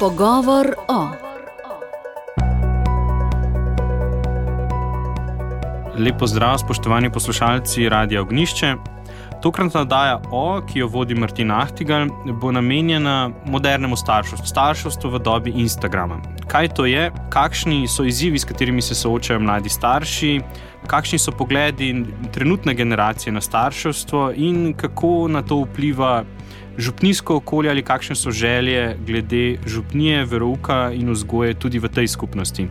Pogovor o. Lep pozdrav, spoštovani poslušalci Radia Ognjišče. Tokratna oddaja O, ki jo vodi Martin Ahtigal, bo namenjena modernemu starševstvu v dobi Instagrama. Kaj to je, kakšni so izzivi, s katerimi se soočajo mladi starši, kakšni so pogledi trenutne generacije na starševstvo in kako na to vpliva župnijsko okolje ali kakšne so želje glede župnije, verouka in vzgoje tudi v tej skupnosti.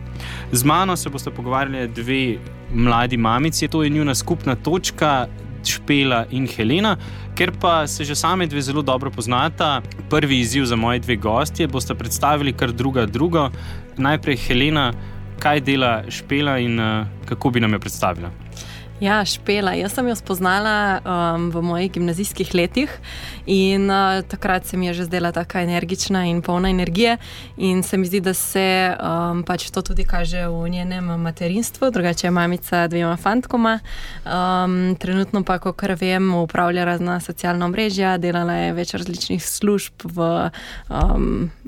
Z mano se boste pogovarjali dve mladi mamici, to je njuna skupna točka, Špela in Helena. Ker pa se že same dve zelo dobro poznata, prvi izziv za moji dve gostje boste predstavili kar drugo. Najprej Helena, kaj dela Špela in kako bi nam jo predstavila? Ja, Špela. Jaz sem jo spoznala v mojih gimnazijskih letih in takrat se mi je že zdela taka energična in polna energije in se mi zdi, da se pač to tudi kaže v njenem materinstvu, drugače je mamica dvema fantkoma. Trenutno pa, kakor vem, upravlja razna socialna omrežja, delala je več različnih služb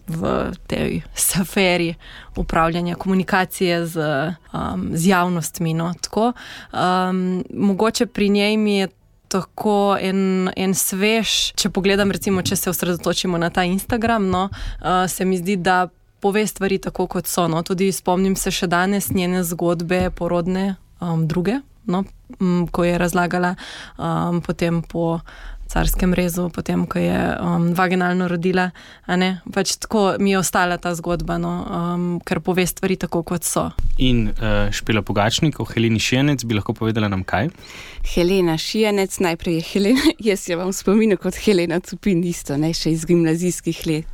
v tej sferi upravljanja komunikacije z javnostmi. No, tako. Mogoče pri njej mi je tako en svež, če pogledam recimo, če se osredotočimo na ta Instagram, no, se mi zdi, da pove stvari tako, kot so. No. Tudi spomnim se še danes njene zgodbe porodne druge, no, ko je razlagala potem po carskem rezu, potem, ko je vaginalno rodila, a ne? Pač tako mi je ostala ta zgodba, no, ker pove stvari tako, kot so. In Špela Pogačnik, o Heleni Šijanec, bi lahko povedala nam kaj? Helena Šijanec, najprej je Helena, jaz jo vam spominjam kot Helena Cupin, isto, ne, še iz gimnazijskih let.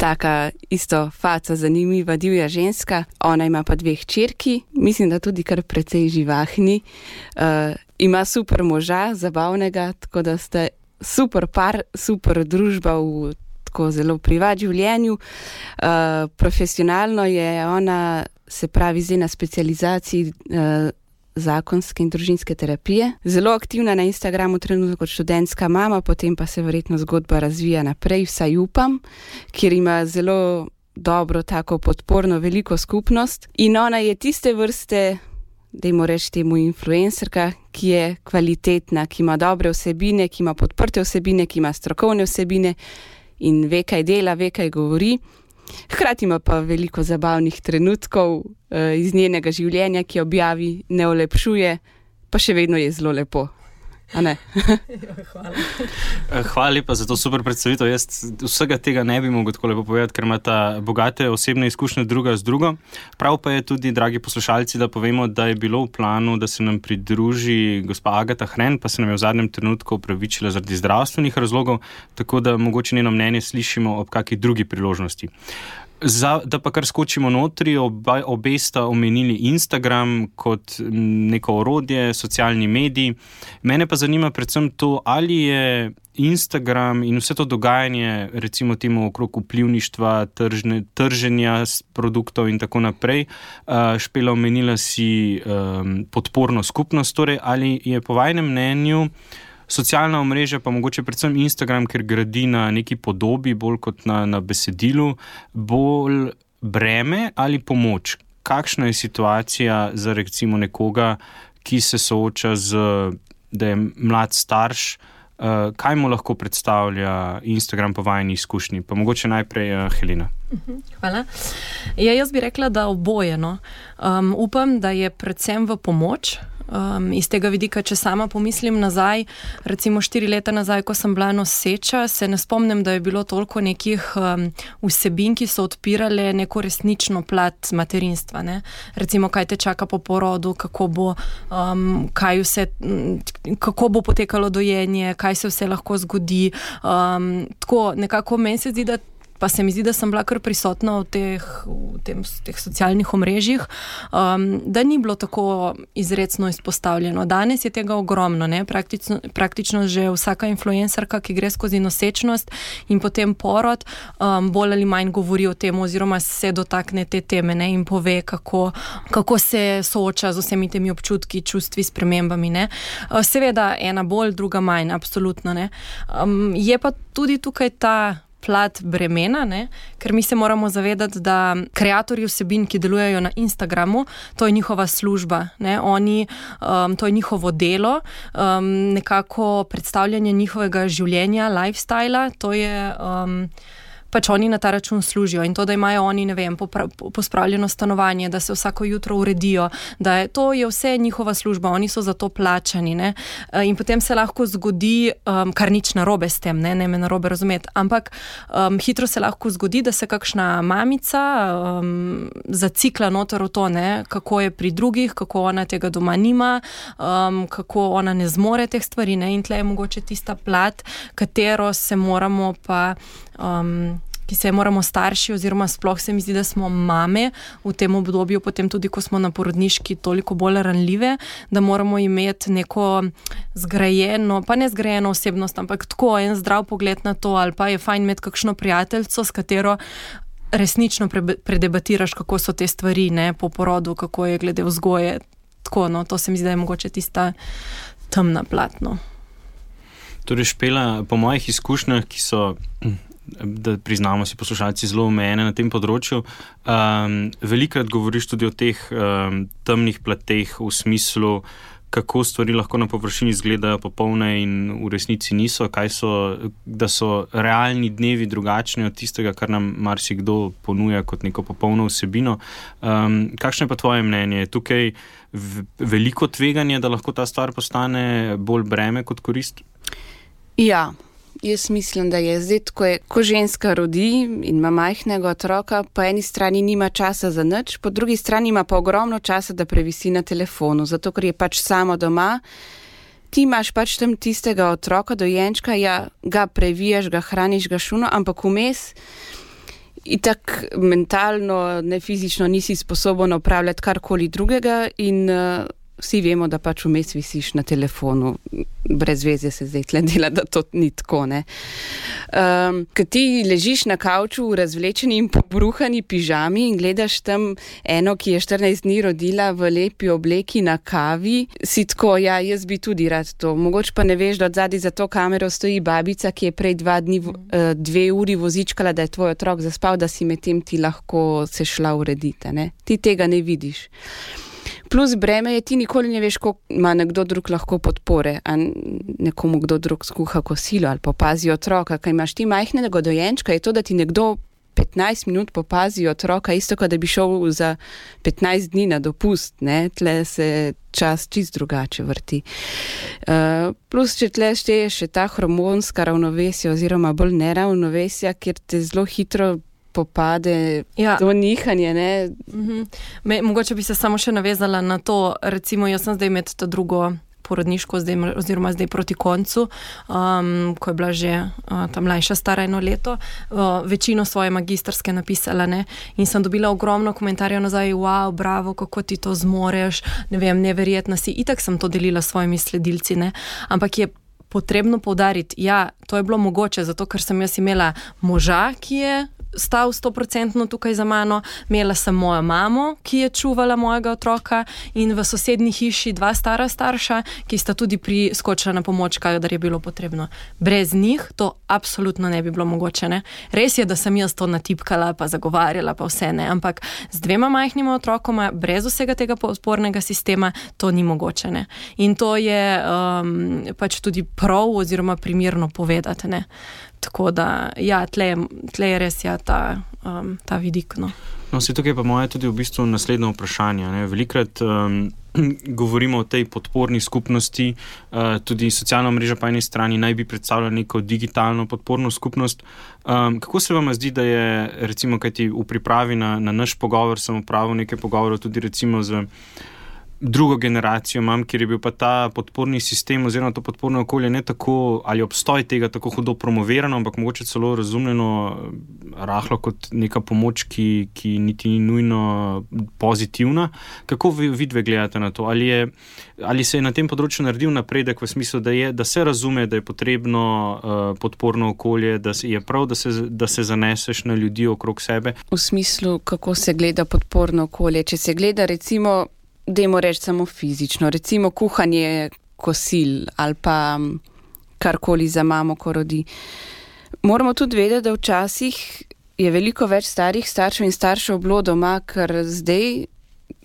Taka isto faca, zanimiva, divja ženska. Ona ima pa 2 hčerki, mislim, da tudi kar precej živahni. Ima super moža, zabavnega, tako da ste super par, super družba v tako zelo privat življenju. Profesionalno je ona, se pravi, zdaj na specializaciji zakonske in družinske terapije. Zelo aktivna na Instagramu trenutno kot študentska mama, potem pa se verjetno zgodba razvija naprej, vsaj upam, kjer ima zelo dobro, tako podporno veliko skupnost. In ona je tiste vrste, dajmo reči temu influencerka, ki je kvalitetna, ki ima dobre vsebine, ki ima podprte vsebine, ki ima strokovne vsebine in ve, kaj dela, ve, kaj govori. Hkrati ima pa veliko zabavnih trenutkov iz njenega življenja, ki objavi, ne olepšuje, pa še vedno je zelo lepo. A ne? Hvala. Hvala lepa za to super predstavitev. Jaz vsega tega ne bi mogel tako lepo povedati, ker imata bogate osebne izkušnje druga z drugo. Prav pa je tudi, dragi poslušalci, da povemo, da je bilo v planu, da se nam pridruži gospa Agata Hren, pa se nam je v zadnjem trenutku opravičila zaradi zdravstvenih razlogov, tako da mogoče njeno mnenje slišimo ob kakšni drugi priložnosti. Da pa kar skočimo notri, obe sta omenili Instagram kot neko orodje, socialni medij. Mene pa zanima predvsem to, ali je Instagram in vse to dogajanje, recimo temu okrog vplivništva, trženja produktov in tako naprej. Špela, omenila si podporno skupnost, torej ali je po vajinem mnenju socialna omrežja, pa mogoče predvsem Instagram, ker gradi na neki podobi, bolj kot na besedilu, bolj breme ali pomoč? Kakšna je situacija za recimo nekoga, ki se sooča da je mlad starš, kaj mu lahko predstavlja Instagram po vajni izkušnji? Pa mogoče najprej Helena. Hvala. Ja, jaz bi rekla, da oboje, no. Upam, da je predvsem v pomoč. Iz tega vidika, če sama pomislim nazaj, recimo 4 leta nazaj, ko sem bila noseča, se ne spomnim, da je bilo toliko nekih vsebin, ki so odpirale neko resnično plat materinstva, ne? Recimo, kaj te čaka po porodu, kako bo potekalo dojenje, kaj se vse lahko zgodi. Tako nekako meni se zdi, pa se mi zdi, da sem bila kar prisotna v teh socialnih omrežjih, da ni bilo tako izrecno izpostavljeno. Danes je tega ogromno, ne? Praktično že vsaka influencerka, ki gre skozi nosečnost in potem porod, bolj ali manj govori o tem oziroma se dotakne te teme, ne? In pove, kako se sooča z vsemi temi občutki, čustvi, spremembami, ne? Seveda ena bolj, druga manj, absolutno, ne? Je pa tudi tukaj ta plat bremena, ne? Ker mi se moramo zavedati, da kreatorji vsebin, ki delujejo na Instagramu, to je njihova služba, ne? Oni, to je njihovo delo, nekako predstavljanje njihovega življenja, lifestyla, to je... pač oni na ta račun služijo in to, da imajo oni, ne vem, pospravljeno stanovanje, da se vsako jutro uredijo, to je vse njihova služba, oni so za to plačani, ne? In potem se lahko zgodi, kar nič narobe s tem, ne me narobe razumeti, ampak hitro se lahko zgodi, da se kakšna mamica zacikla noter v to, ne, kako je pri drugih, kako ona tega doma nima, kako ona ne zmore teh stvari, ne, in tle je mogoče tista plat, katero se moramo pa ki se moramo starši oziroma sploh se mi zdi, da smo mame v tem obdobju, potem tudi, ko smo na porodniški toliko bolj ranljive, da moramo imeti neko zgrajeno, pa ne zgrajeno osebnost, ampak tako en zdrav pogled na to, ali pa je fajn imeti kakšno prijateljco, s katero resnično predebatiraš, kako so te stvari, ne, po porodu, kako je glede vzgoje, tako, no, to se mi zdi, da je mogoče tista temna plat, no. Torej, Špela, po mojih izkušnjah, ki so, da priznamo si poslušalci, zelo omejene na tem področju, velikokrat govoriš tudi o teh temnih plateh v smislu, kako stvari lahko na površini izgledajo popolne in v resnici niso, da so realni dnevi drugačni od tistega, kar nam marsikdo ponuja kot neko popolno vsebino. Kakšno je pa tvoje mnenje? Je tukaj veliko tveganje, da lahko ta stvar postane bolj breme kot korist? Ja. Jaz mislim, da je zdaj, ko ženska rodi in ima majhnega otroka, po eni strani nima časa za nič, po drugi strani ima pa ogromno časa, da previsi na telefonu, zato ker je pač samo doma. Ti imaš pač tam tistega otroka, dojenčka, ja, ga previjaš, ga hraniš, ga šuno, ampak vmes itak mentalno, ne fizično nisi sposoben opravljati karkoli drugega in vsi vemo, da pač vmes visiš na telefonu. Brez veze se zdaj tle dela, da to ni tako, ne. Ko ti ležiš na kavču v razvlečeni in pobruhani pižami in gledaš tam eno, ki je 14 dni rodila v lepi obleki na kavi, si tako, ja, jaz bi tudi rad to. Mogoče pa ne veš, da odzadaj za to kamero stoji babica, ki je prej 2 uri vozičkala, da je tvoj otrok zaspal, da si medtem ti lahko se šla urediti, ne. Ti tega ne vidiš. Plus breme je, ti nikoli ne veš, koliko ima nekdo drug lahko podpore, a nekomu kdo drug skuha kosilo ali popazi otroka. Kaj imaš ti majhnega dojenčka, je to, da ti nekdo 15 minut popazi otroka, isto kot da bi šel za 15 dni na dopust, ne, tle se čas čist drugače vrti. Plus, če tle šteje še ta hormonska ravnovesja oziroma bolj neravnovesja, kjer te zelo hitro popade to nihanje, ne? Mogoče bi se samo še navezala na to, recimo jaz sem zdaj med ta drugo porodniško, oziroma zdaj proti koncu, ko je bila že ta mlajša stara 1 leto, večino svoje magistrske napisala, ne, in sem dobila ogromno komentarjev nazaj, wow, bravo, kako ti to zmoreš, ne vem, neverjetna si, itak sem to delila s svojimi sledilci, ne, ampak je potrebno poudariti, ja, to je bilo mogoče, zato ker sem jaz imela moža, ki je stal 100% tukaj za mano, imela sem mojo mamo, ki je čuvala mojega otroka in v sosednji hiši 2 stara starša, ki sta tudi priskočila na pomoč, kadar je bilo potrebno. Brez njih to absolutno ne bi bilo mogoče, ne. Res je, da sem jaz to natipkala, pa zagovarjala, pa vse, ne, ampak z 2 majhnima otrokoma, brez vsega tega podpornega sistema, to ni mogoče, ne. In to je pač tudi prav oziroma primerno povedati, ne. Tako da, ja, tle je res ta vidik, no. No, se tukaj pa moje tudi v bistvu naslednje vprašanje, ne. Velikrat govorimo o tej podporni skupnosti, tudi socialna mreža po eni strani naj bi predstavljala neko digitalno podporno skupnost. Kako se vam zdi, da je, recimo, kajti v pripravi na naš pogovor sem opravil nekaj pogovorov tudi recimo z drugo generacijo imam, kjer je bil pa ta podporni sistem oziroma to podporno okolje ne tako, ali obstoj tega tako hudo promovirano, ampak mogoče celo razumljeno rahlo kot neka pomoč, ki niti ni nujno pozitivna. Kako vi dve gledate na to? Ali se je na tem področju naredil napredek v smislu, da se razume, da je potrebno podporno okolje, da je prav, da se zaneseš na ljudi okrog sebe? V smislu, kako se gleda podporno okolje? Če se gleda recimo, dajmo reči samo fizično, recimo kuhanje kosil ali pa karkoli za mamo, ko rodi. Moramo tudi vedeti, da včasih je veliko več starih staršev in staršev bilo doma, ker zdaj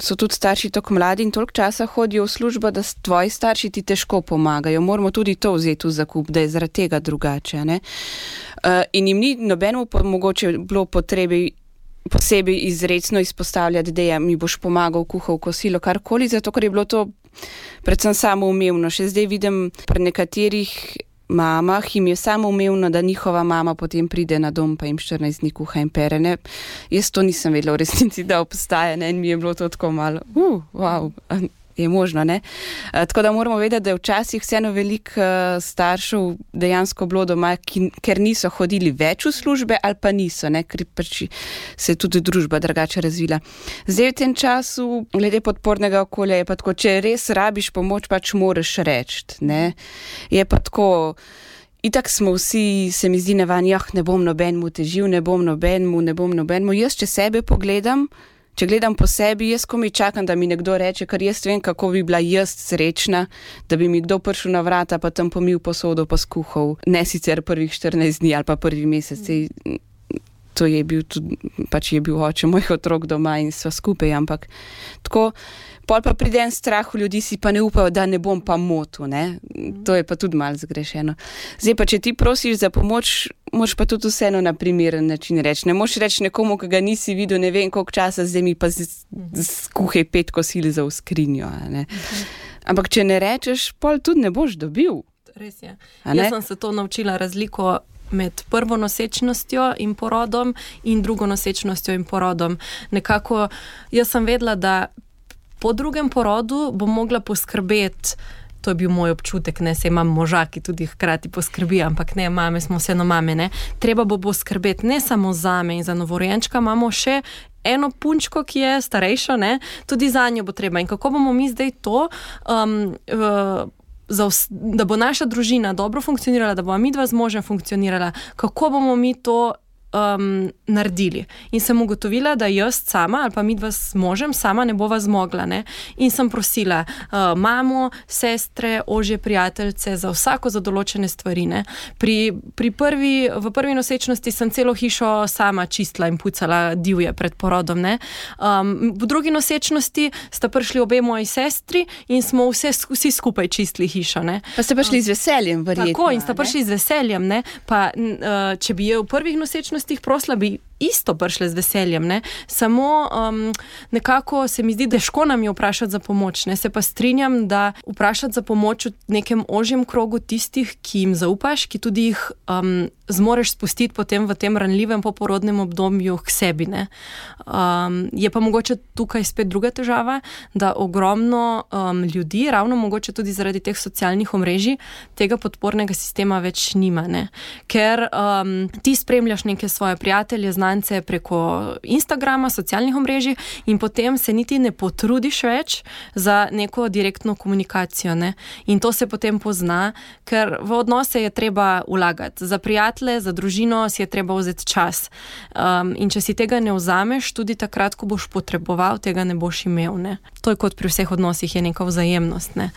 so tudi starši tako mladi in toliko časa hodijo v službo, da tvoji starši ti težko pomagajo. Moramo tudi to vzeti v zakup, da je zaradi tega drugače. Ne? In jim ni nobenemu mogoče bilo posebej izrecno izpostavljati, da mi boš pomagal, kuhal, kosilo, karkoli, zato ker je bilo to predvsem samoumevno. Še zdaj vidim pri nekaterih mamah, jim je samoumevno, da njihova mama potem pride na dom pa jim 14 dni kuha in pere. Ne? Jaz to nisem vedela v resnici, da obstaja, ne? In mi je bilo to tako malo, wow, je možno, ne? Tako da moramo vedeti, da je včasih vseeno veliko staršev dejansko bilo doma, ker niso hodili več v službe ali pa niso, ne? Ker pač se je tudi družba drugače razvila. Zdaj v tem času, glede podpornega okolja, je pa tako, če res rabiš pomoč, pač moraš reči, ne? Je pa tako, itak smo vsi, se mi zdi navadni, ne bom nobenemu težil, ne bom nobenemu. Jaz, če sebe pogledam, če gledam po sebi, jaz komaj čakam, da mi nekdo reče, ker jaz vem, kako bi bila jaz srečna, da bi mi kdo prišel na vrata, pa tam pomil posodo, pa skuhal. Ne sicer prvih 14 dni ali pa prvi mesec. To je bil tudi, pač je bil oče mojih otrok doma in sva skupaj, ampak tako, pol pa pride en strah v ljudi, si pa ne upajo, da ne bom pa motil, ne. To je pa tudi malo zgrešeno. Zdaj pa, če ti prosiš za pomoč, moraš pa tudi vseeno na primeren način reči. Ne moš reči nekomu, ki ga nisi videl, ne vem koliko časa, zdaj mi pa skuhaj 5 kosil za v skrinjo, ne. Ampak če ne rečeš, pol tudi ne boš dobil. Res je. Jaz sem se to naučila razliko med prvo nosečnostjo in porodom in drugo nosečnostjo in porodom. Nekako, jaz sem vedela, da po drugem porodu bom mogla poskrbeti, to je bil moj občutek, ne, saj imam moža, ki tudi hkrati poskrbi, ampak ne, mame smo vseeno mame, ne. Treba bo skrbeti ne samo zame in za novorojenčka, imamo še eno punčko, ki je starejša, ne, tudi za njo bo treba. In kako bomo mi zdaj to da bo naša družina dobro funkcionirala, da bo midva z možem funkcionirala, kako bomo mi to naredili. In sem ugotovila, da jaz sama ali pa midva s možem sama ne bova zmogla, ne. In sem prosila mamo, sestre, ožje prijateljce za vsako za določene stvari, ne. V prvi nosečnosti sem celo hišo sama čistila in pucala divje pred porodom, ne. V drugi nosečnosti sta prišli obe moji sestri in smo vsi skupaj čistili hišo, ne. Pa ste prišli z veseljem, verjetno. Tako, in sta prišli z veseljem, ne. Pa če bi je v prvih nosečnostih prosla, bi isto prišle z veseljem, ne. Samo nekako se mi zdi, težko nam je vprašati za pomoč, ne. Se pa strinjam, da vprašati za pomoč v nekem ožjem krogu tistih, ki jim zaupaš, ki tudi jih zmoreš spustiti potem v tem ranljivem poporodnem obdobju k sebi, ne. Je pa mogoče tukaj spet druga težava, da ogromno ljudi, ravno mogoče tudi zaradi teh socialnih omrežij, tega podpornega sistema več nima, ne. Ker ti spremljaš neke svoje prijatelje, znance preko Instagrama, socialnih omrežij in potem se niti ne potrudiš več za neko direktno komunikacijo, ne. In to se potem pozna, ker v odnose je treba vlagati. Za prijatelje, za družino si je treba vzeti čas. In če si tega ne vzameš, tudi takrat, ko boš potreboval, tega ne boš imel, ne. To je kot pri vseh odnosih, je neka vzajemnost, ne.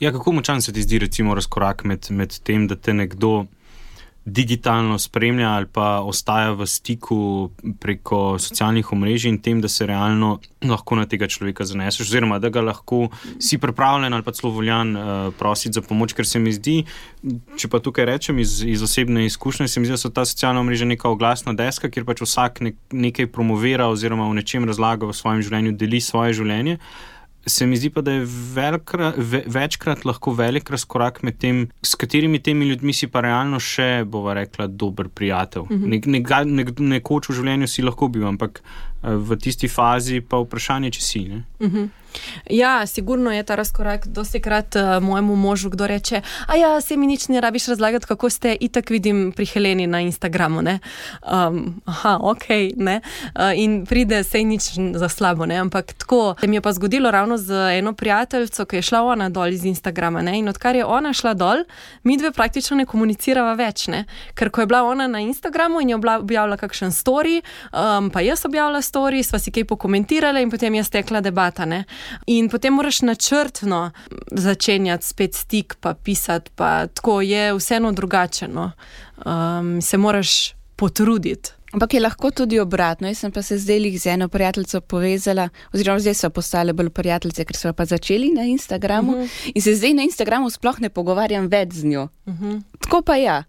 Ja, kako močan se ti zdi recimo razkorak med tem, da te nekdo digitalno spremlja ali pa ostaja v stiku preko socialnih omrežij in tem, da se realno lahko na tega človeka zaneseš, oziroma da ga lahko si pripravljen ali pa celo voljan prositi za pomoč, ker se mi zdi, če pa tukaj rečem iz osebne izkušnje, se mi zdi, da so ta socialna omrežja neka oglasna deska, kjer pač vsak nekaj promovira oziroma v nečem razlaga v svojem življenju, deli svoje življenje. Se mi zdi pa, da je večkrat lahko velik razkorak med tem, s katerimi temi ljudmi si pa realno še, bova rekla, dober prijatelj. Nekoč v življenju si lahko bil, ampak v tisti fazi pa vprašanje, če si, ne? Ja, sigurno je ta razkorak. Dostikrat mojemu možu kdo reče, se mi nič ne rabiš razlagati, kako ste, itak vidim pri Heleni na Instagramu, ne. Okej, ne. In pride, sej nič za slabo, ne, ampak tako. Se mi je pa zgodilo ravno z eno prijateljico, ki je šla ona dol iz Instagrama, ne, in odkar je ona šla dol, midve praktično ne komunicirava več, ne. Ker ko je bila ona na Instagramu in je objavila kakšen story, pa jaz objavila story, sva si kaj pokomentirala in potem je stekla debata, ne. In potem moraš načrtno začenjati spet stik, pa pisati, pa tako je vseeno drugače, no. Se moraš potruditi. Ampak je lahko tudi obratno. Jaz sem pa se zdaj z eno prijateljico povezala, oziroma zdaj so postale bolj prijateljice, ker so pa začeli na Instagramu in se zdaj na Instagramu sploh ne pogovarjam več z njo. Tako pa ja.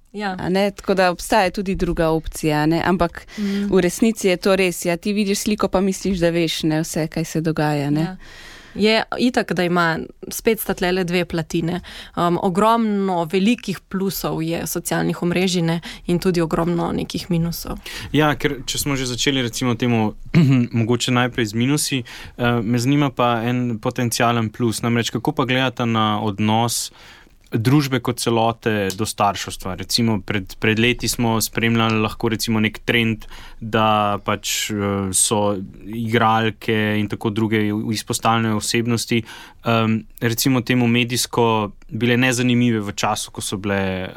Tako da obstaja tudi druga opcija, ne? Ampak v resnici je to res. Ja, ti vidiš sliko, pa misliš, da veš, ne, vse, kaj se dogaja. Ne? Ja. Je itak, da ima spet sta tlele dve platine. Ogromno velikih plusov je socialnih omrežij, ne, in tudi ogromno nekih minusov. Ja, ker če smo že začeli recimo temu mogoče najprej z minusi, me zanima pa en potencialen plus. Namreč, kako pa gledate na odnos družbe kot celote do starševstva. Recimo pred leti smo spremljali lahko recimo nek trend, da pač so igralke in tako druge izpostavljene osebnosti recimo temu medijsko bile nezanimive v času, ko so bile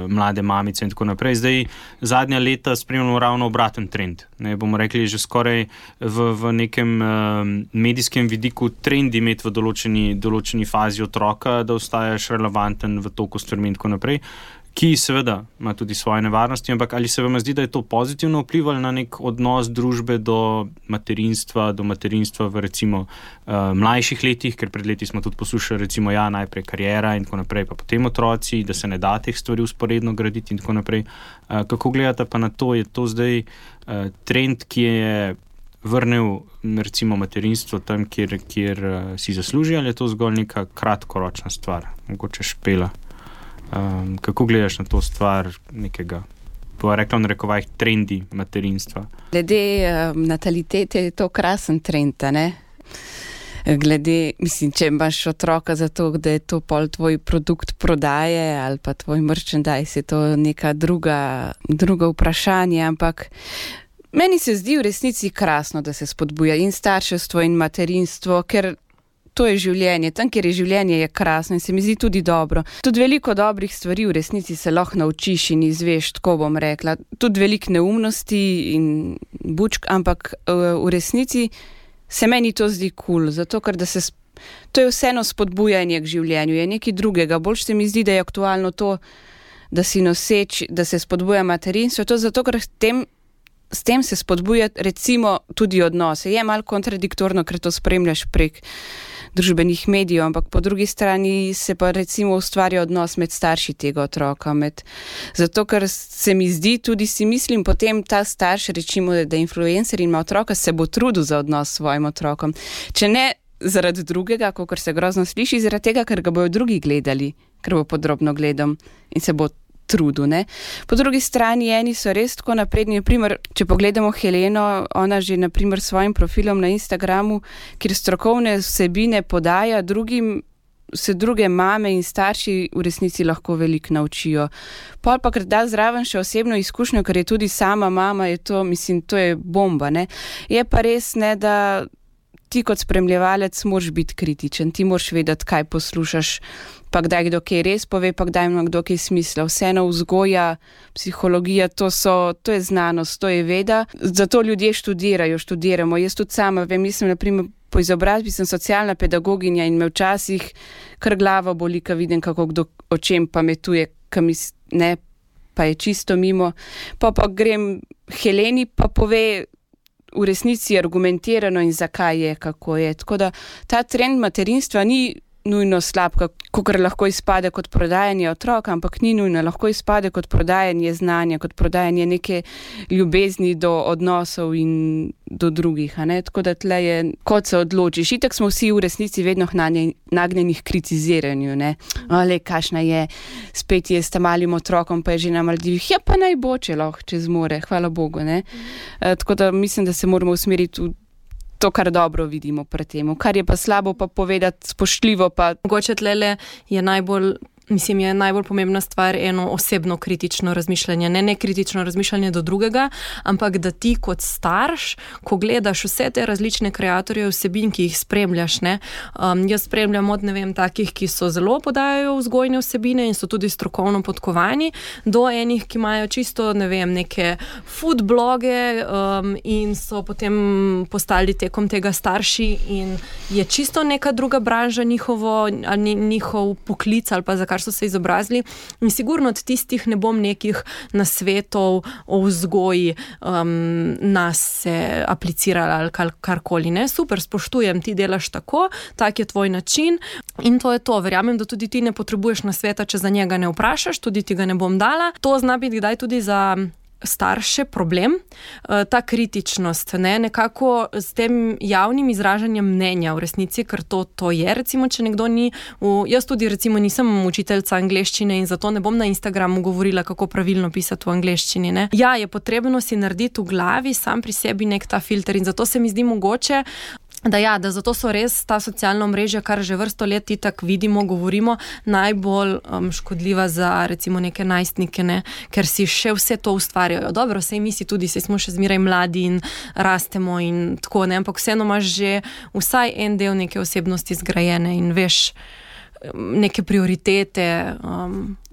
mlade mamice in tako naprej. Zdaj zadnja leta spremljamo ravno obraten trend. Ne, bomo rekli, že skoraj v nekem medijskem vidiku trend imeti v določeni fazi otroka, da ostajaš relevanten v toku stvarmi in tako naprej, ki seveda ima tudi svoje nevarnosti, ampak ali se vam zdi, da je to pozitivno vplivalo na nek odnos družbe do materinstva v recimo mlajših letih, ker pred leti smo tudi poslušali recimo najprej kariera in tako naprej, pa potem otroci, da se ne da teh stvari usporedno graditi in tako naprej. Kako gledate pa na to? Je to zdaj trend, ki je vrnil recimo materinstvo tam, kjer si zasluži, ali je to zgolj neka kratkoročna stvar? Mogoče Špela. Kako gledaš na to stvar nekega, bo rekla v narekovajih, trendi materinstva? Glede natalitete je to krasen trend, ne? Glede, mislim, če imaš otroka zato, da je to pol tvoj produkt prodaje ali pa tvoj merchandise, je to neka druga vprašanje, ampak meni se zdi v resnici krasno, da se spodbuja in starševstvo in materinstvo, ker to je življenje. Tam, kjer je življenje, je krasno in se mi zdi tudi dobro. Tudi veliko dobrih stvari v resnici se lahko naučiš in izveš, tako bom rekla. Tudi veliko neumnosti in bučk, ampak v resnici se meni to zdi cool, zato ker to je vseeno spodbujanje k življenju, je nekaj drugega. Bolj se mi zdi, da je aktualno to, da si noseč, da se spodbuja materinstvo, to zato, ker s tem se spodbuja recimo tudi odnose. Je malo kontradiktorno, ker to spremljaš prek družbenih medijev, ampak po drugi strani se pa recimo ustvarja odnos med starši tega otroka. Zato, ker se mi zdi, tudi si mislim, potem ta starš, recimo, da influencer ima otroka, se bo trudil za odnos s svojim otrokom. Če ne zaradi drugega, kakor se grozno sliši, zaradi tega, ker ga bojo drugi gledali, ker bo podrobno gledal in se bo trudu, ne. Po drugi strani eni so res tako napredni, naprimer, če pogledamo Heleno, ona že naprimer s svojim profilom na Instagramu, kjer strokovne vsebine podaja drugim, se druge mame in starši v resnici lahko veliko naučijo. Pol pa, ker da zraven še osebno izkušnjo, ker je tudi sama mama, je to, mislim, to je bomba, ne. Je pa res, ne, da ti kot spremljevalec moraš biti kritičen, ti moraš vedeti, kaj poslušaš, pa kdaj kdo kaj res pove, pa kdaj ima kdo kaj smisla. Vseeno vzgoja, psihologija, to je znanost, to je veda. Zato ljudje študiramo. Jaz tudi sama vem, mislim, naprimer, po izobrazbi sem socialna pedagoginja in me včasih kar glava boli, ko vidim, kako kdo o čem pametuje, pa je čisto mimo. Pa grem Heleni, pa pove v resnici argumentirano in zakaj je, kako je. Tako da ta trend materinstva ni nujno slab, kakor lahko izpade kot prodajanje otroka, ampak ni nujno, lahko izpade kot prodajanje znanja, kot prodajanje neke ljubezni do odnosov in do drugih, a ne? Tako da tle je, kot se odločiš. Itak smo vsi v resnici vedno nagnjeni k kritiziranju, ne? Ale, kašna je, spet je s malim otrokom, pa je že na Maldivih. Ja, pa naj bo, če lahko, če zmore, hvala Bogu, ne? Tako da mislim, da se moramo usmeriti v to, kar dobro vidimo pred tem. Kar je pa slabo, pa povedati spoštljivo. Mogoče tlele je najbolj mislim, je najbolj pomembna stvar eno osebno kritično razmišljanje, ne kritično razmišljanje do drugega, ampak da ti kot starš, ko gledaš vse te različne kreatorje vsebin, ki jih spremljaš, ne, jaz spremljam od, ne vem, takih, ki so zelo podajajo vzgojne vsebine in so tudi strokovno podkovani, do enih, ki imajo čisto, ne vem, neke food bloge in so potem postali tekom tega starši in je čisto neka druga branža njihov poklic ali pa za kar so se izobrazili in sigurno od tistih ne bom nekih nasvetov o vzgoji nas se aplicirala ali karkoli, ne. Super, spoštujem, ti delaš tako, tak je tvoj način in to je to. Verjamem, da tudi ti ne potrebuješ nasveta, če za njega ne vprašaš, tudi ti ga ne bom dala. To zna biti kdaj tudi za starše problem, ta kritičnost, ne, nekako s tem javnim izražanjem mnenja v resnici, ker to je, recimo, če nekdo ni, jaz tudi recimo nisem učiteljica angleščine in zato ne bom na Instagramu govorila, kako pravilno pisati v angleščini, ne. Ja, je potrebno si narediti v glavi sam pri sebi nek ta filter in zato se mi zdi mogoče, da zato so res ta socialna omrežja, kar že vrsto let itak vidimo, govorimo, najbolj škodljiva za recimo neke najstnike, ne, ker si še vse to ustvarjajo. Dobro, sej mi si tudi, sej smo še zmeraj mladi in rastemo in tako, ne, ampak vseeno imaš že vsaj en del neke osebnosti zgrajene in veš neke prioritete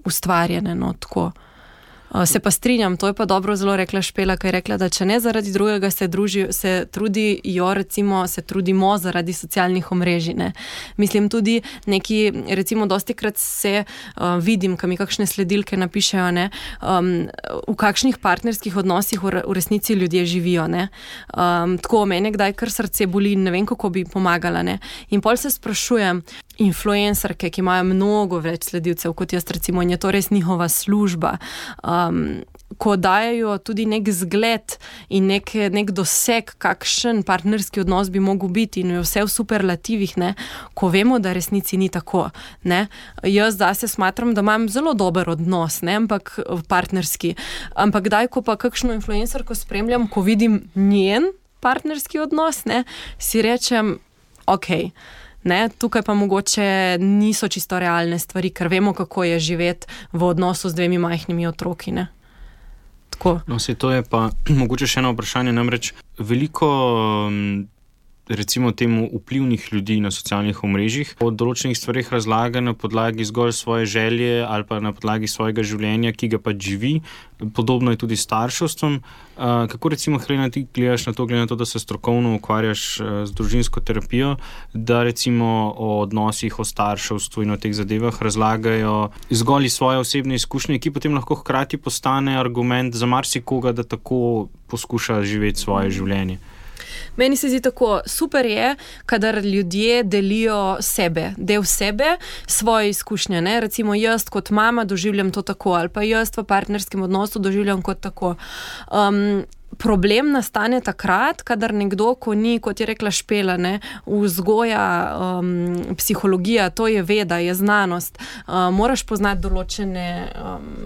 ustvarjene, no, tako. Se pa strinjam, to je pa dobro zelo rekla Špela, ko je rekla, da če ne zaradi drugega se trudimo zaradi socialnih omrežij, ne. Mislim tudi neki, recimo dostikrat se vidim, ko mi kakšne sledilke napišejo, ne, v kakšnih partnerskih odnosih v resnici ljudje živijo, ne. Tako, mene kdaj kar srce boli in ne vem, kako bi pomagala, ne. In pol se sprašujem, influencerke, ki imajo mnogo več sledilcev kot jaz, recimo, in je to res njihova služba, ko dajajo tudi nek zgled in nek doseg, kakšen partnerski odnos bi mogel biti in je vse v superlativih, ne, ko vemo, da resnici ni tako, ne. Jaz zase smatram, da imam zelo dober odnos, ne, ampak partnerski. Ampak kdaj, ko pa kakšno influencerko spremljam, ko vidim njen partnerski odnos, ne, si rečem, okej, ne, tukaj pa mogoče niso čisto realne stvari, ker vemo, kako je živeti v odnosu z 2 majhnimi otroki, ne. Tako. No, to je pa mogoče še eno vprašanje, namreč veliko recimo temu vplivnih ljudi na socialnih omrežjih o določenih stvarih razlaga na podlagi zgolj svoje želje ali pa na podlagi svojega življenja, ki ga pa živi. Podobno je tudi s starševstvom. Kako recimo, Helena, ti gledaš na to, glede na to, da se strokovno ukvarjaš z družinsko terapijo, da recimo o odnosih, o starševstvu in o teh zadevah razlagajo zgolj iz svoje osebne izkušnje, ki potem lahko hkrati postane argument za marsikoga, da tako poskuša živeti svoje življenje? Meni se zdi tako, super je, kadar ljudje delijo del sebe, svoje izkušnje, ne, recimo jaz kot mama doživljam to tako, ali pa jaz v partnerskem odnosu doživljam kot tako. Problem nastane takrat, kadar nekdo, ko ni, kot je rekla Špela, ne, vzgoja, psihologija, to je veda, je znanost, moraš poznati določene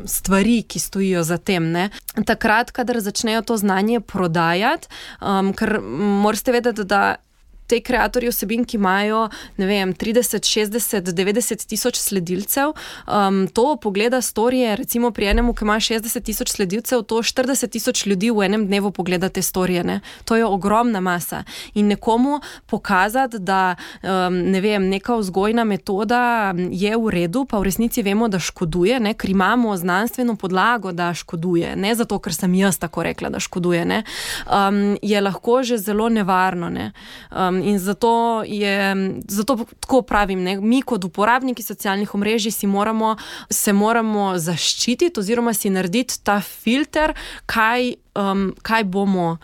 stvari, ki stojijo za tem, ne. Takrat, kadar začnejo to znanje prodajati, ker morate vedeti, da te kreatorji vsebin, ki imajo, ne vem, 30, 60, 90 tisoč sledilcev, to pogleda storije, recimo pri enemu, ki ima 60 tisoč sledilcev, to 40 tisoč ljudi v enem dnevu pogleda te storije, ne. To je ogromna masa. In nekomu pokazati, da, ne vem, neka vzgojna metoda je v redu, pa v resnici vemo, da škoduje, ne, ker imamo znanstveno podlago, da škoduje, ne zato, ker sem jaz tako rekla, da škoduje, ne, je lahko že zelo nevarno, ne. In zato tako pravim, ne, mi kot uporabniki socialnih omrežij se moramo zaščititi oziroma si narediti ta filter, kaj bomo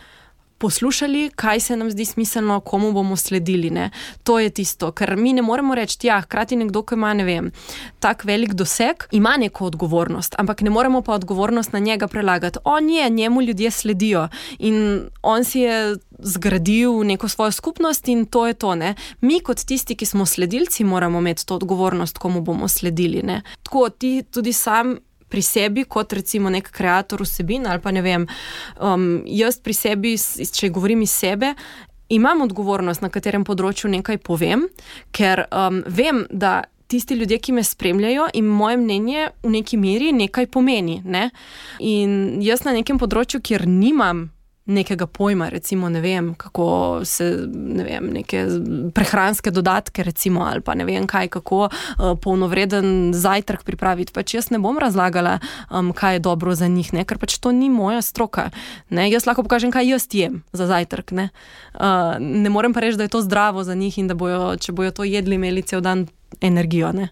poslušali, kaj se nam zdi smiselno, komu bomo sledili, ne. To je tisto, ker mi ne moremo reči, hkrati nekdo, ki ima, ne vem, tak velik doseg, ima neko odgovornost, ampak ne moremo pa odgovornost na njega prelagati. Njemu ljudje sledijo in on si je zgradil neko svojo skupnost in to je to, ne. Mi kot tisti, ki smo sledilci, moramo imeti to odgovornost, komu bomo sledili, ne. Tako, ti tudi sam pri sebi, kot recimo nek kreator vsebin ali pa ne vem, jaz pri sebi, če govorim iz sebe, imam odgovornost, na katerem področju nekaj povem, ker vem, da tisti ljudje, ki me spremljajo in moje mnenje v neki meri nekaj pomeni, ne? In jaz na nekem področju, kjer nimam nekega pojma, recimo, ne vem, kako se, ne vem, neke prehranske dodatke, recimo, ali pa ne vem kaj, kako polnovreden zajtrk pripraviti. Pač jaz ne bom razlagala, kaj je dobro za njih, ne? Ker pač to ni moja stroka. Ne? Jaz lahko pokažem, kaj jaz jem za zajtrk. Ne? Ne morem pa reči, da je to zdravo za njih in da bojo, če bojo to jedli, imeli cel dan energijo. Ne?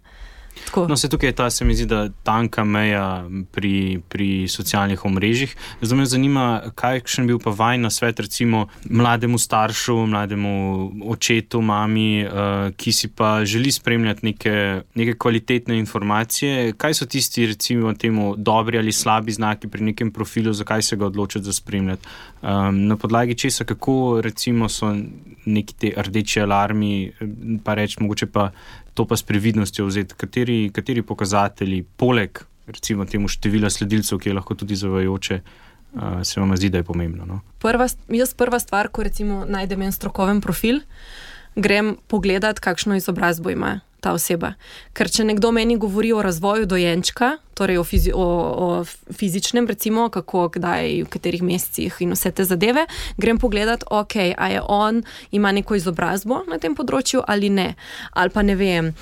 Tako. No, se tukaj je ta, se mi zdi, da tanka meja pri socialnih omrežjih. Zdaj me zanima, kakšen bil pa vaj na svet recimo mlademu staršu, mlademu očetu, mami, ki si pa želi spremljati neke kvalitetne informacije. Kaj so tisti recimo temu dobri ali slabi znaki pri nekem profilu, zakaj se ga odločiti za spremljati? Na podlagi česa, kako recimo so neki te rdeči alarmi, pa reči mogoče pa to pa s previdnostjo vzeti, kateri pokazatelji, poleg recimo temu števila sledilcev, ki je lahko tudi zavajajoče, se vam zdi, da je pomembno? No? Prva stvar, ko recimo najdem en strokoven profil, grem pogledat, kakšno izobrazbo ima ta oseba. Ker če nekdo meni govori o razvoju dojenčka, torej o fizičnem, recimo, kako, kdaj, v katerih mesecih in vse te zadeve, grem pogledat, ok, a je on, ima neko izobrazbo na tem področju ali ne. Ali pa ne vem,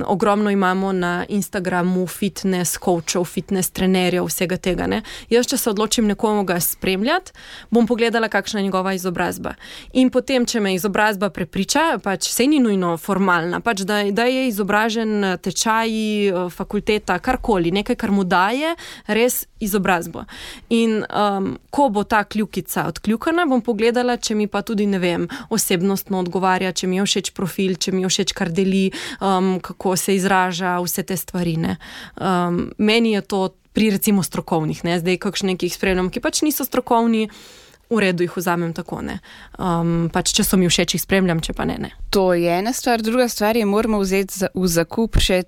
ogromno imamo na Instagramu fitness coachov, fitness trenerjev, vsega tega, ne. Jaz, če se odločim nekoga spremljati, bom pogledala, kakšna je njegova izobrazba. In potem, če me izobrazba prepriča, pač sej ni nujno formalna, pač da je izobražen tečaji, fakulteta, karkoli, nekaj, kar mu daje res izobrazbo. In ko bo ta kljukica odkljukana, bom pogledala, če mi pa tudi, ne vem, osebnostno odgovarja, če mi je všeč profil, če mi je všeč, kar deli, kako se izraža, vse te stvari, ne. Meni je to pri recimo strokovnih, ne, zdaj kakšne, ki jih spremljam, ki pač niso strokovni, v redu jih vzamem tako, ne. Pač, če so mi všeč, jih spremljam, če pa ne. To je ena stvar, druga stvar je, moramo vzeti v zakup še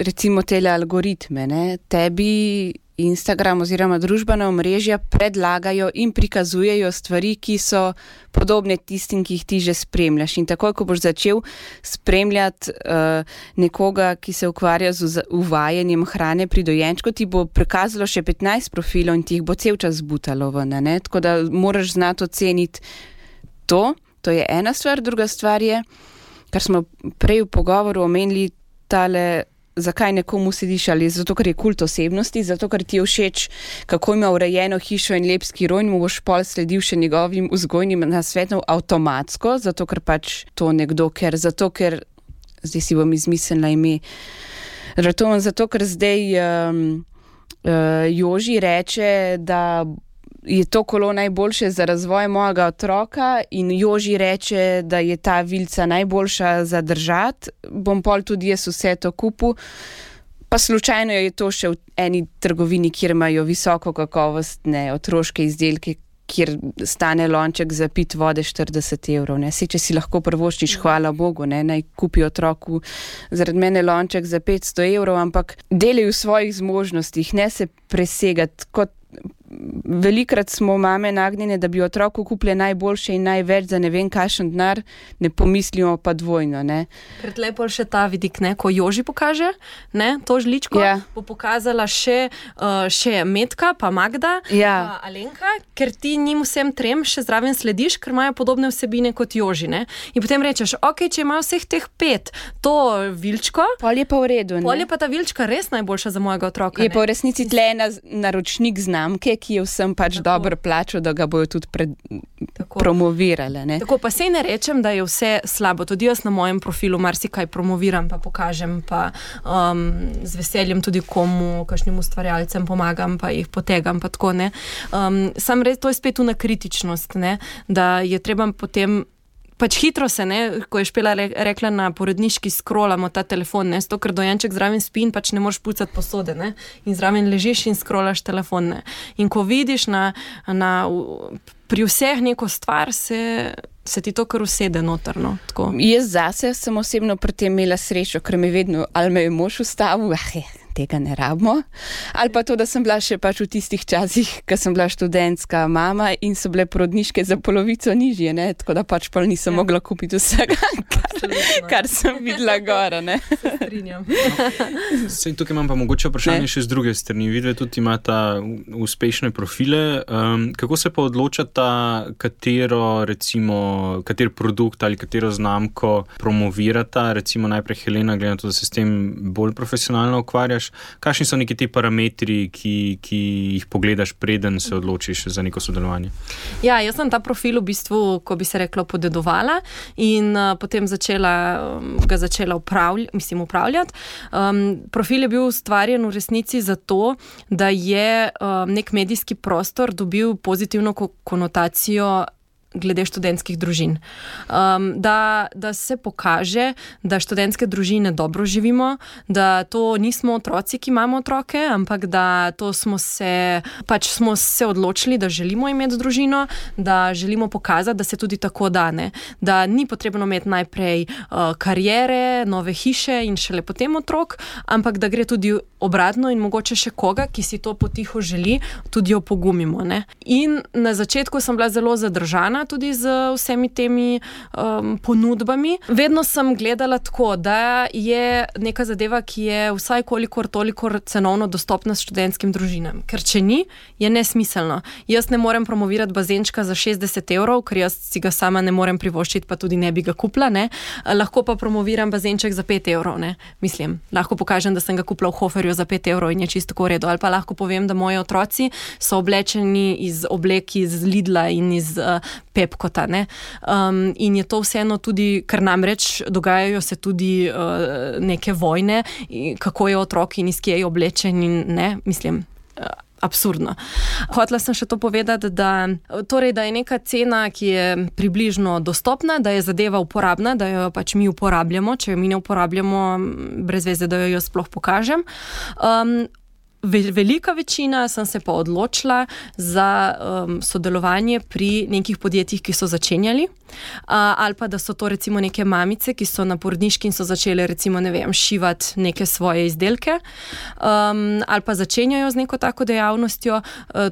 recimo tele algoritme, ne. Tebi Instagram oziroma družbena omrežja predlagajo in prikazujejo stvari, ki so podobne tistim, ki jih ti že spremljaš. In takoj, ko boš začel spremljati nekoga, ki se ukvarja z uvajanjem hrane pri dojenčku, ti bo prikazalo še 15 profilov in ti jih bo cel čas butalo ven, ne? Tako da moraš znati oceniti to je ena stvar. Druga stvar je, kar smo prej v pogovoru omenili, tale zakaj nekomu sediš, ali zato, ker je kult osebnosti, zato, ker ti je všeč, kako ima urejeno hišo in lep skiro in mu boš pol sledil še njegovim vzgojnim nasvetom avtomatsko, zato, ker pač to nekdo, zato, ker zdaj si bom izmislila ime, zato, ker zdaj Joži reče, da je to kolo najboljše za razvoj mojega otroka in Joži reče, da je ta vilica najboljša za držati, bom pol tudi jaz vse to kupil. Pa slučajno je to še v eni trgovini, kjer imajo visoko kakovostne otroške izdelke, kjer stane lonček za pit vode 40 €. Ne? Če si lahko privoščiš, hvala Bogu, ne? Naj kupi otroku zaradi mene lonček za 500 €, ampak delaj v svojih zmožnostih, ne se presegati. Velikrat smo mame nagnjene, da bi otroku kupile najboljše in največ za ne vem kakšen denar, ne pomislimo pa dvojno, ne. Ker tle pol še ta vidik, ne, ko Joži pokaže, ne, to žličko, bo pokazala še Metka, pa Magda, pa Alenka, ker ti njim vsem trem še zraven slediš, ker imajo podobne vsebine kot Joži, ne. In potem rečeš, ok, če imajo vseh teh 5, to vilčko, pol je pa v redu, ne. Pol je pa ta vilčka res najboljša za mojega otroka, je pa v resnici tle naročnik znamke, ki je vsem pač dobro plačal, da ga bojo tudi promovirale. Ne? Tako pa sej ne rečem, da je vse slabo. Tudi jaz na mojem profilu marsikaj promoviram, pa pokažem, pa z veseljem tudi komu, kakšnim ustvarjalcem pomagam, pa jih potegam, pa tako, ne. Sam res, to je spet una kritičnost, ne, da je treba potem pač hitro se, ne, ko je Špela rekla na porodniški, scrollamo ta telefon, ne, zato ker dojenček zraven spi in pač ne moreš pucati posode, ne, in zraven ležiš in scrollaš telefon, ne. In ko vidiš pri vseh neko stvar, se ti to kar usede noter, no, tako. Jaz zase sem osebno pri tem imela srečo, ker me vedno, ali me je mož ustavil, tega ne rabimo. Ali pa to, da sem bila še pač v tistih časih, ko sem bila študentska mama in so bile porodniške za polovico nižje, ne? Tako da pač pa nisem mogla kupiti vsega, kar sem videla gora. Sej, tukaj imam pa mogoče vprašanje še z druge strani. Vidve tudi imata uspešne profile. Kako se pa odločata, kater produkt ali katero znamko promovirata? Recimo najprej Helena, glede na to, da se s tem bolj profesionalno ukvarjaš. Kakšni so neki ti parametri, ki jih pogledaš, preden se odločiš za neko sodelovanje? Ja, jaz sem ta profil v bistvu, ko bi se reklo, podedovala in potem ga začela upravljati. Profil je bil ustvarjen v resnici zato, da je nek medijski prostor dobil pozitivno konotacijo glede študentskih družin. Da se pokaže, da študentske družine dobro živimo, da to nismo otroci, ki imamo otroke, ampak da to smo se odločili, da želimo imeti družino, da želimo pokazati, da se tudi tako dane. Da ni potrebno imeti najprej kariere, nove hiše in šele potem otrok, ampak da gre tudi obratno in mogoče še koga, ki si to potiho želi, tudi opogumimo. Ne? In na začetku sem bila zelo zadržana tudi z vsemi temi ponudbami. Vedno sem gledala tako, da je neka zadeva, ki je vsaj kolikor toliko cenovno dostopna študentskim družinam. Ker če ni, je nesmiselno. Jaz ne morem promovirati bazenčka za 60 €, ker jaz si ga sama ne morem privoščiti, pa tudi ne bi ga kupila. Ne? Lahko pa promoviram bazenček za 5 €. Ne? Mislim, lahko pokažem, da sem ga kupila v Hoferju za 5 € in je čisto v redu. Ali pa lahko povem, da moji otroci so oblečeni iz oblek iz Lidla in iz Pepkota. In je to vseeno tudi, ker namreč dogajajo se tudi neke vojne, kako je otrok in iz kje je oblečen in ne, mislim, absurdno. Hotela sem še to povedati, da je neka cena, ki je približno dostopna, da je zadeva uporabna, da jo pač mi uporabljamo, če jo mi ne uporabljamo, brez veze, da jo sploh pokažem. Velika večina sem se pa odločila za sodelovanje pri nekih podjetjih, ki so začenjali, ali pa da so to recimo neke mamice, ki so na porodniški in so začele recimo, ne vem, šivati neke svoje izdelke, ali pa začenjajo z neko tako dejavnostjo.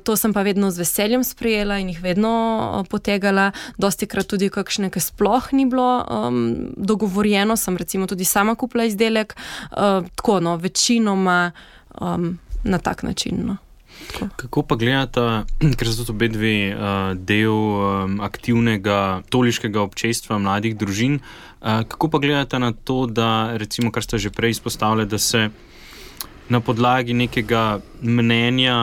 To sem pa vedno z veseljem sprejela in jih vedno potegala. Dostikrat tudi kakšne, ki sploh ni bilo dogovorjeno, sem recimo tudi sama kupila izdelek. Tako, večinoma na tak način. No. Kako pa gledata, ker so tudi obedve del aktivnega katoliškega občestva mladih družin, kako pa gledata na to, da recimo, kar ste že prej izpostavili, da se na podlagi nekega mnenja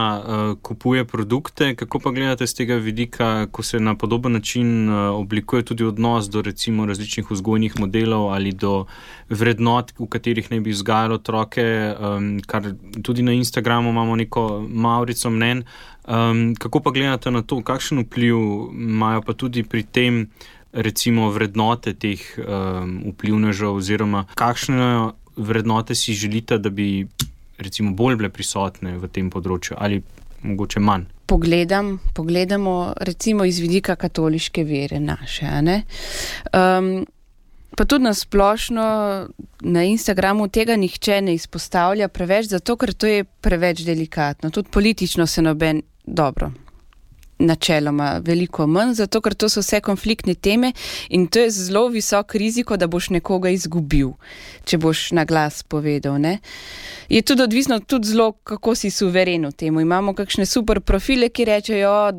kupuje produkte, kako pa gledate z tega vidika, ko se na podoben način oblikuje tudi odnos do recimo različnih vzgojnih modelov ali do vrednot, v katerih naj bi vzgajali otroke, kar tudi na Instagramu imamo neko mavrico mnenj. Kako pa gledate na to, kakšen vpliv imajo pa tudi pri tem recimo vrednote teh vplivnežev oziroma kakšne vrednote si želite, da bi recimo bolj bile prisotne v tem področju ali mogoče manj? Pogledamo recimo iz vidika katoliške vere naše, ne? Pa tudi na splošno na Instagramu tega nihče ne izpostavlja preveč, zato ker to je preveč delikatno. Tudi politično se noben dobro. Načeloma veliko manj, zato ker to so vse konfliktne teme in to je zelo visok riziko, da boš nekoga izgubil, če boš na glas povedal. Ne? Je tudi odvisno tudi zelo, kako si suveren v temu. Imamo kakšne super profile, ki rečejo,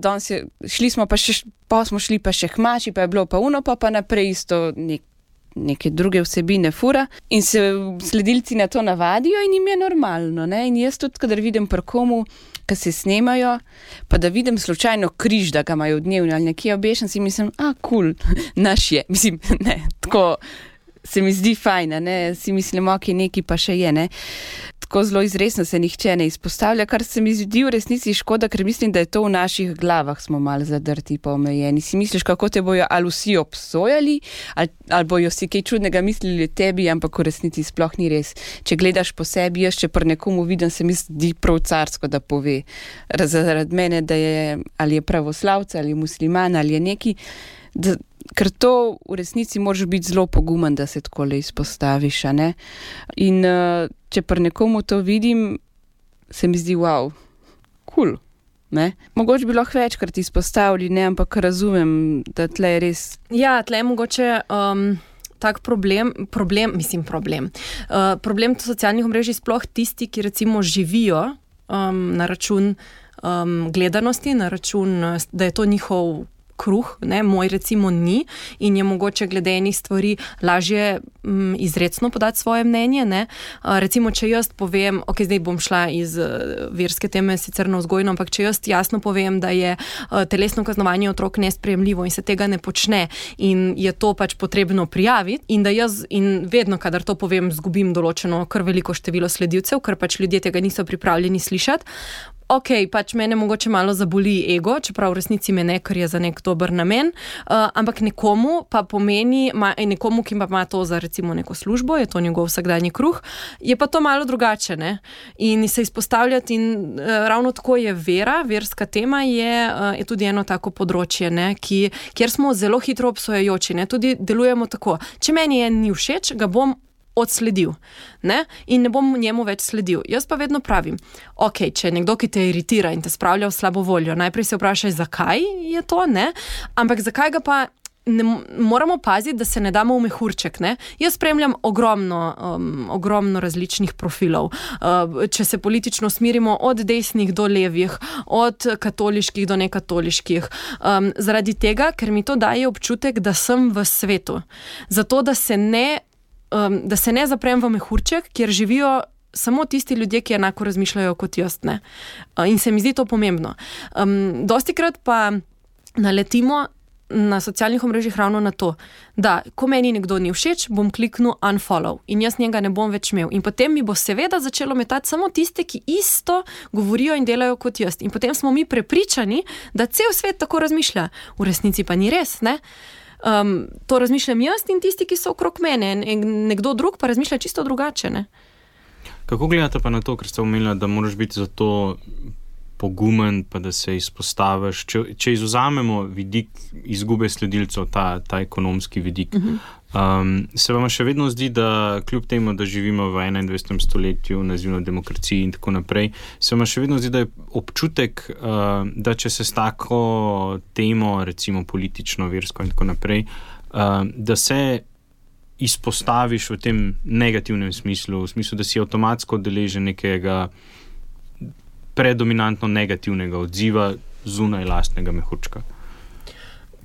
pa smo šli pa še k mači, pa je bilo pa uno, pa naprej isto neke druge vsebine fura in se sledilci na to navadijo in jim je normalno. Ne? In jaz tudi, kadar vidim pri komu, ki se snemajo, pa da vidim slučajno križ, da ga imajo v dnevni ali nekje obešen, si mislim, cool, naš je. Mislim, ne, tako se mi zdi fajn, ne, si mislim, neki pa še je, ne. Tako zelo izresno se nihče ne izpostavlja, kar se mi zdi v resnici škoda, ker mislim, da je to v naših glavah, smo malo zadrti pa omejeni. Si misliš, kako te bojo ali vsi obsojali, ali bojo si kaj čudnega mislili o tebi, ampak v resnici sploh ni res. Če gledaš po sebi, jaz če pri nekomu vidim, se mi zdi prav carsko, da pove zaradi mene, da je ali je pravoslavca, ali je musliman, ali je neki, Ker to v resnici moraš biti zelo pogumen, da se takole izpostaviš, a ne? In če pri nekomu to vidim, se mi zdi, wow, cool, ne? Mogoče bi lahko večkrat izpostavili, ne, ampak razumem, da tle je res... Ja, tle je mogoče tak problem socialnih omrežij sploh tisti, ki recimo živijo na račun gledanosti, na račun, da je to njihov kruh, ne, moj recimo ni in je mogoče glede enih stvari lažje izrecno podati svoje mnenje, ne. Recimo, če jaz povem, ok, zdaj bom šla iz verske teme sicer na vzgojno, ampak če jaz jasno povem, da je telesno kaznovanje otrok nesprejemljivo in se tega ne počne in je to pač potrebno prijaviti in da jaz in vedno, kadar to povem, zgubim določeno kar veliko število sledilcev, ker pač ljudje tega niso pripravljeni slišati. Ok, pač mene mogoče malo zaboli ego, čeprav v resnici me ne, ker je za nek dober namen, ampak nekomu pa pomeni, nekomu, ki ima to za recimo neko službo, je to njegov vsakdanji kruh, je pa to malo drugače, ne? In se izpostavljati in ravno tako je vera, verska tema je tudi eno tako področje, ne? Kjer smo zelo hitro obsojajoči, ne? Tudi delujemo tako, če meni ni všeč, ga bom odsledil, ne? In ne bom njemu več sledil. Jaz pa vedno pravim, ok, če je nekdo, ki te iritira in te spravlja v slabo voljo, najprej se vprašaj, zakaj je to, ne? Ampak zakaj ga pa ne moramo paziti, da se ne damo v mehurček, ne? Jaz spremljam ogromno različnih profilov. Če se politično smirimo od desnih do levih, od katoliških do nekatoliških. Zaradi tega, ker mi to daje občutek, da sem v svetu. Zato, da se ne zaprem v mehurček, kjer živijo samo tisti ljudje, ki enako razmišljajo kot jaz, ne. In se mi zdi to pomembno. Dostikrat pa naletimo na socialnih omrežjih ravno na to, da ko meni nekdo ni všeč, bom kliknil unfollow in jaz njega ne bom več imel. In potem mi bo seveda začelo metati samo tiste, ki isto govorijo in delajo kot jaz. In potem smo mi prepričani, da cel svet tako razmišlja. V resnici pa ni res, ne. To razmišljam jaz in tisti, ki so okrog mene. Nekdo drug pa razmišlja čisto drugače, ne? Kako gledate pa na to, ker ste omenili, da moraš biti za to pogumen, pa da se izpostaviš? Če izvzamemo vidik izgube sledilcev, ta ekonomski vidik, se vam še vedno zdi, da kljub temu, da živimo v 21. stoletju, nazivno demokraciji in tako naprej, se vam še vedno zdi, da je občutek, da če se s tako temo, recimo politično, versko in tako naprej, da se izpostaviš v tem negativnem smislu, v smislu, da si avtomatsko deležen nekega predominantno negativnega odziva zunaj lastnega mehurčka?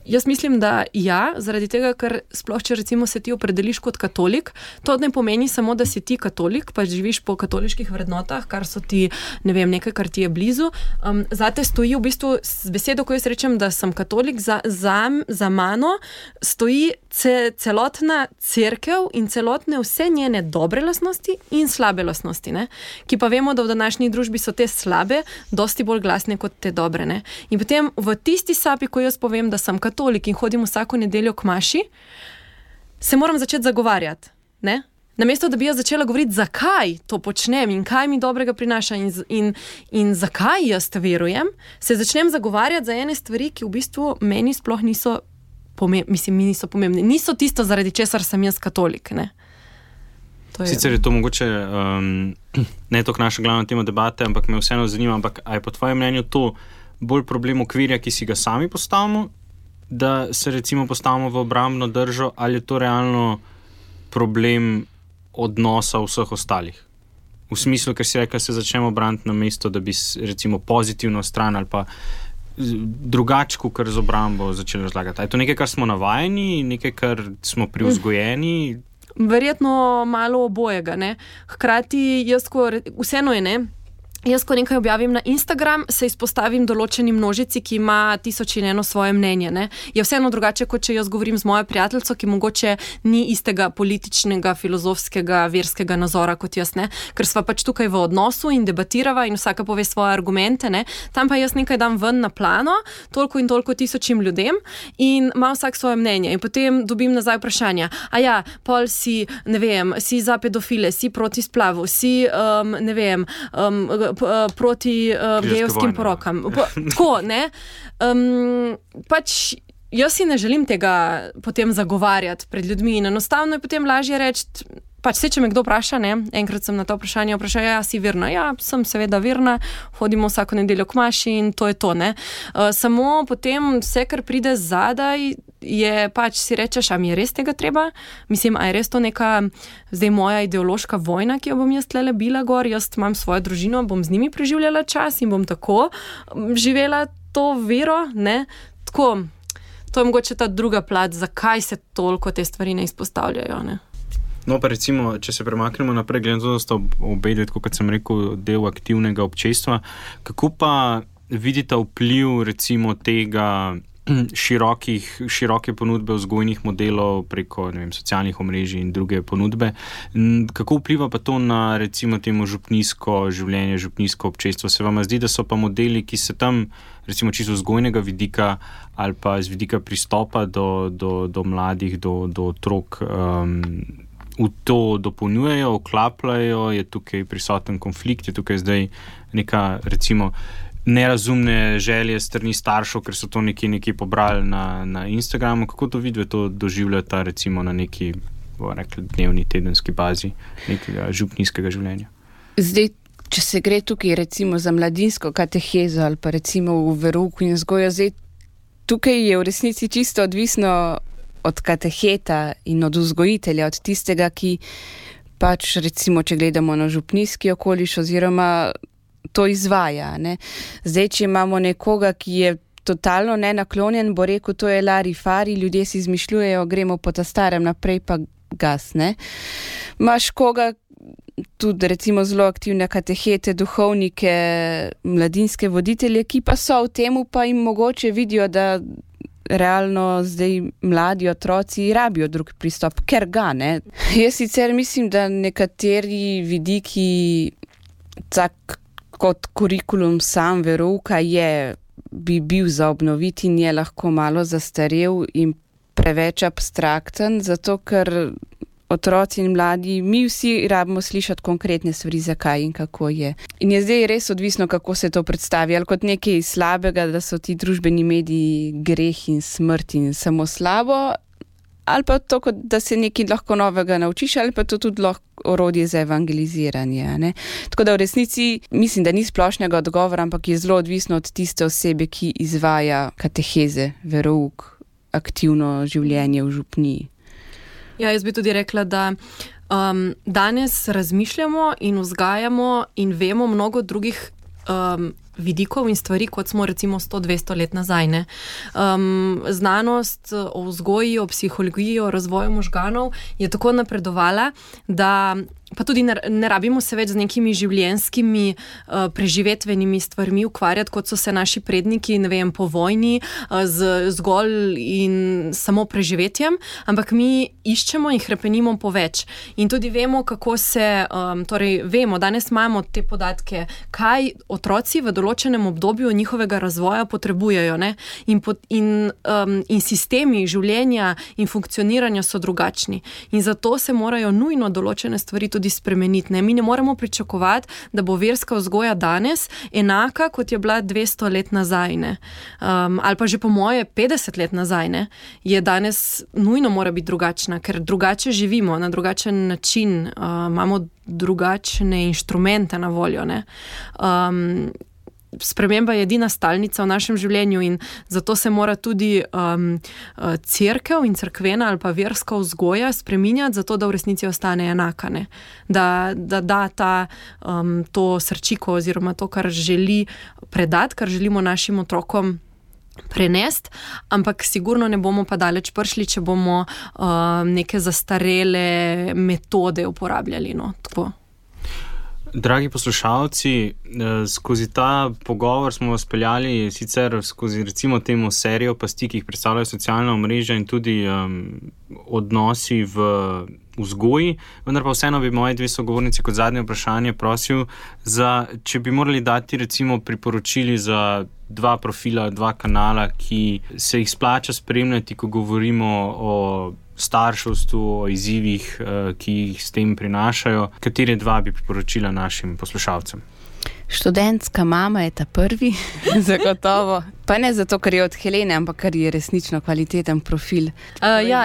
Jaz mislim, da ja, zaradi tega, ker sploh, če recimo se ti opredeliš kot katolik, to ne pomeni samo, da si ti katolik, pa živiš po katoliških vrednotah, kar so ti, ne vem, nekaj, kar ti je blizu. Zate stoji v bistvu, z besedo, ko jaz rečem, da sem katolik, za mano stoji celotna cerkev in celotne vse njene dobre lastnosti in slabe lastnosti, ne? Ki pa vemo, da v današnji družbi so te slabe dosti bolj glasne kot te dobre, ne? In potem v tisti sapi, ko jaz povem, da sem katolik in hodim vsako nedeljo k maši, se moram začeti zagovarjati, ne? Namesto, da bi jaz začela govoriti, zakaj to počnem in kaj mi dobrega prinaša in zakaj jaz verujem, se začnem zagovarjati za ene stvari, ki v bistvu meni sploh niso pomembne. Niso tisto, zaradi česar sem jaz katolik, ne? Sicer je to mogoče ne toliko naša glavna tema debate, ampak me vseeno zanima, ampak a je po tvojem mnenju to bolj problem okvirja, ki si ga sami postavimo, da se recimo postavimo v obrambno držo, ali je to realno problem odnosa vseh ostalih? V smislu, ker si rekel, se začnemo braniti na mesto, da bi recimo pozitivno stran ali pa drugačko, kar z obrambo začeli razlagati. Je to nekaj, kar smo navajeni, nekaj, kar smo privzgojeni? Verjetno malo obojega, ne. Hkrati vseeno je, ne. Jaz, ko nekaj objavim na Instagram, se izpostavim določeni množici, ki ima 1001 svoje mnenje, ne. Je vseeno drugače, kot če jaz govorim z mojo prijateljico, ki mogoče ni istega političnega, filozofskega, verskega nazora kot jaz, ne. Ker sva pač tukaj v odnosu in debatirava in vsaka pove svoje argumente, ne. Tam pa jaz nekaj dam ven na plano, toliko in toliko 1000 ljudem in ima vsak svoje mnenje. In potem dobim nazaj vprašanja. Pol si, ne vem, si za pedofile, si proti splavu, si, ne vem, proti gejevskim porokam. Tako, ne? Pač jaz si ne želim tega potem zagovarjati pred ljudmi in enostavno je potem lažje reči, pač če me kdo vpraša, ne, enkrat sem na to vprašanje vprašal, ja, si verna? Ja, sem seveda verna, hodimo vsako nedeljo k maši in to je to, ne. Samo potem vse, kar pride zadaj, je pač si rečeš, a mi je res tega treba? Mislim, a je res to neka zdaj moja ideološka vojna, ki jo bom jaz tlele bila gor, jaz imam svojo družino, bom z njimi preživljala čas in bom tako živela to vero, ne. Tako, to je mogoče ta druga plat, zakaj se toliko te stvari ne izpostavljajo, ne. No, pa recimo, če se premaknemo naprej, glede na to, da sta obe, kot sem rekel, del aktivnega občestva, kako pa vidite vpliv recimo tega široke ponudbe vzgojnih modelov preko, ne vem, socialnih omrežij in druge ponudbe? Kako vpliva pa to na recimo temu župnijsko življenje, župnijsko občestvo? Se vam zdi, da so pa modeli, ki se tam recimo čisto vzgojnega vidika ali pa z vidika pristopa do mladih, do otrok, v to dopolnjujejo, vklapljajo, je tukaj prisoten konflikt, je tukaj zdaj neka recimo nerazumne želje strani staršev, ker so to nekje pobrali na Instagramu. Kako to vidve to doživljata recimo na neki, bomo rekli, dnevni, tedenski bazi nekega župnijskega življenja? Zdaj, če se gre tukaj recimo za mladinsko katehezo ali pa recimo v verouku in vzgojo, zdaj tukaj je v resnici čisto odvisno od kateheta in od vzgojitelja, od tistega, ki pač recimo, če gledamo na župnijski okoliš oziroma to izvaja, ne. Zdaj, če imamo nekoga, ki je totalno nenaklonjen, bo rekel, to je larifari, ljudje si izmišljujejo, gremo po ta starem naprej pa gas, ne. Imaš koga, tudi recimo zelo aktivne katehete, duhovnike, mladinske voditelje, ki pa so v temu, pa jim mogoče vidijo, da realno zdaj mladi otroci rabijo drug pristop, ker ga, ne. Jaz sicer mislim, da nekateri vidiki, tak kot kurikulum sam verouka bi bil za obnoviti in je lahko malo zastarel in preveč abstrakten, zato ker otroci in mladi, mi vsi rabimo slišati konkretne stvari, zakaj in kako je. In je zdaj res odvisno, kako se to predstavi, ali kot nekaj slabega, da so ti družbeni mediji greh in smrt in samo slabo, ali pa to, da se nekaj lahko novega naučiš, ali pa to tudi lahko orodje za evangeliziranje, ne. Tako da v resnici mislim, da ni splošnega odgovora, ampak je zelo odvisno od tiste osebe, ki izvaja kateheze, verouk, aktivno življenje v župniji. Ja, jaz bi tudi rekla, da danes razmišljamo in vzgajamo in vemo mnogo drugih vidikov in stvari, kot smo recimo 100-200 let nazaj, ne. Znanost o vzgoji, o psihologiji, o razvoju možganov je tako napredovala, da pa tudi ne rabimo se več z nekimi življenjskimi preživetvenimi stvarmi ukvarjati, kot so se naši predniki, ne vem, po vojni, z zgolj in samo preživetjem, ampak mi iščemo in hrepenimo po več. In tudi vemo, kako se, torej vemo, danes imamo te podatke, kaj otroci v določenem obdobju njihovega razvoja potrebujejo, ne? In sistemi življenja in funkcioniranja so drugačni. In zato se morajo nujno določene stvari tudi spremeniti, ne? Mi ne moremo pričakovati, da bo verska vzgoja danes enaka, kot je bila 200 let nazaj, ne? Ali pa že po moje 50 let nazaj, ne? Je danes nujno mora biti drugačna, ker drugače živimo, na drugačen način, imamo drugačne inštrumente na voljo, ne? Sprememba je edina stalnica v našem življenju in zato se mora tudi cerkev in cerkvena ali pa verska vzgoja spreminjati, zato da v resnici ostane enaka, ne? Da ta to srčiko oziroma to, kar želi predati, kar želimo našim otrokom prenesti, ampak sigurno ne bomo pa daleč prišli, če bomo neke zastarele metode uporabljali, no, tako. Dragi poslušalci, skozi ta pogovor smo vas peljali sicer skozi recimo temu serijo pasti, ki jih predstavljajo socialna omrežja in tudi odnosi v vzgoji, vendar pa vseeno bi moji dve sogovornici kot zadnje vprašanje prosil, če bi morali dati recimo priporočili za 2 profila, 2 kanala, ki se jih splača spremljati, ko govorimo o starševstvu, o izzivih, ki jih s tem prinašajo. Katere 2 bi priporočila našim poslušalcem? Študentska mama je ta prvi, zagotovo. Pa ne zato, ker je od Helene, ampak ker je resnično kvaliteten profil.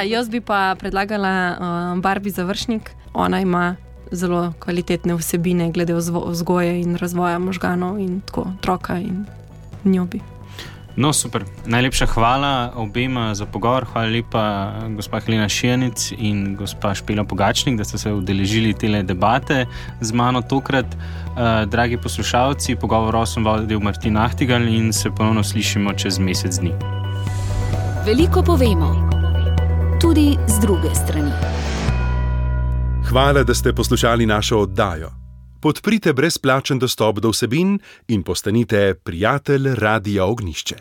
Jaz bi pa predlagala Barbie Završnik. Ona ima zelo kvalitetne vsebine glede vzgoje in razvoja možganov in tako otroka in njo bi. No, super. Najlepša hvala obema za pogovor. Hvala lepa gospa Helena Šijanic in gospa Špela Pogačnik, da ste se udeležili tele debate z mano tokrat. Dragi poslušalci, pogovor sem vodil Martin Ahtigal in se ponovno slišimo čez mesec dni. Veliko povemo, tudi z druge strani. Hvala, da ste poslušali našo oddajo. Podprite brezplačen dostop do vsebin in postanite prijatelj Radia Ognjišče.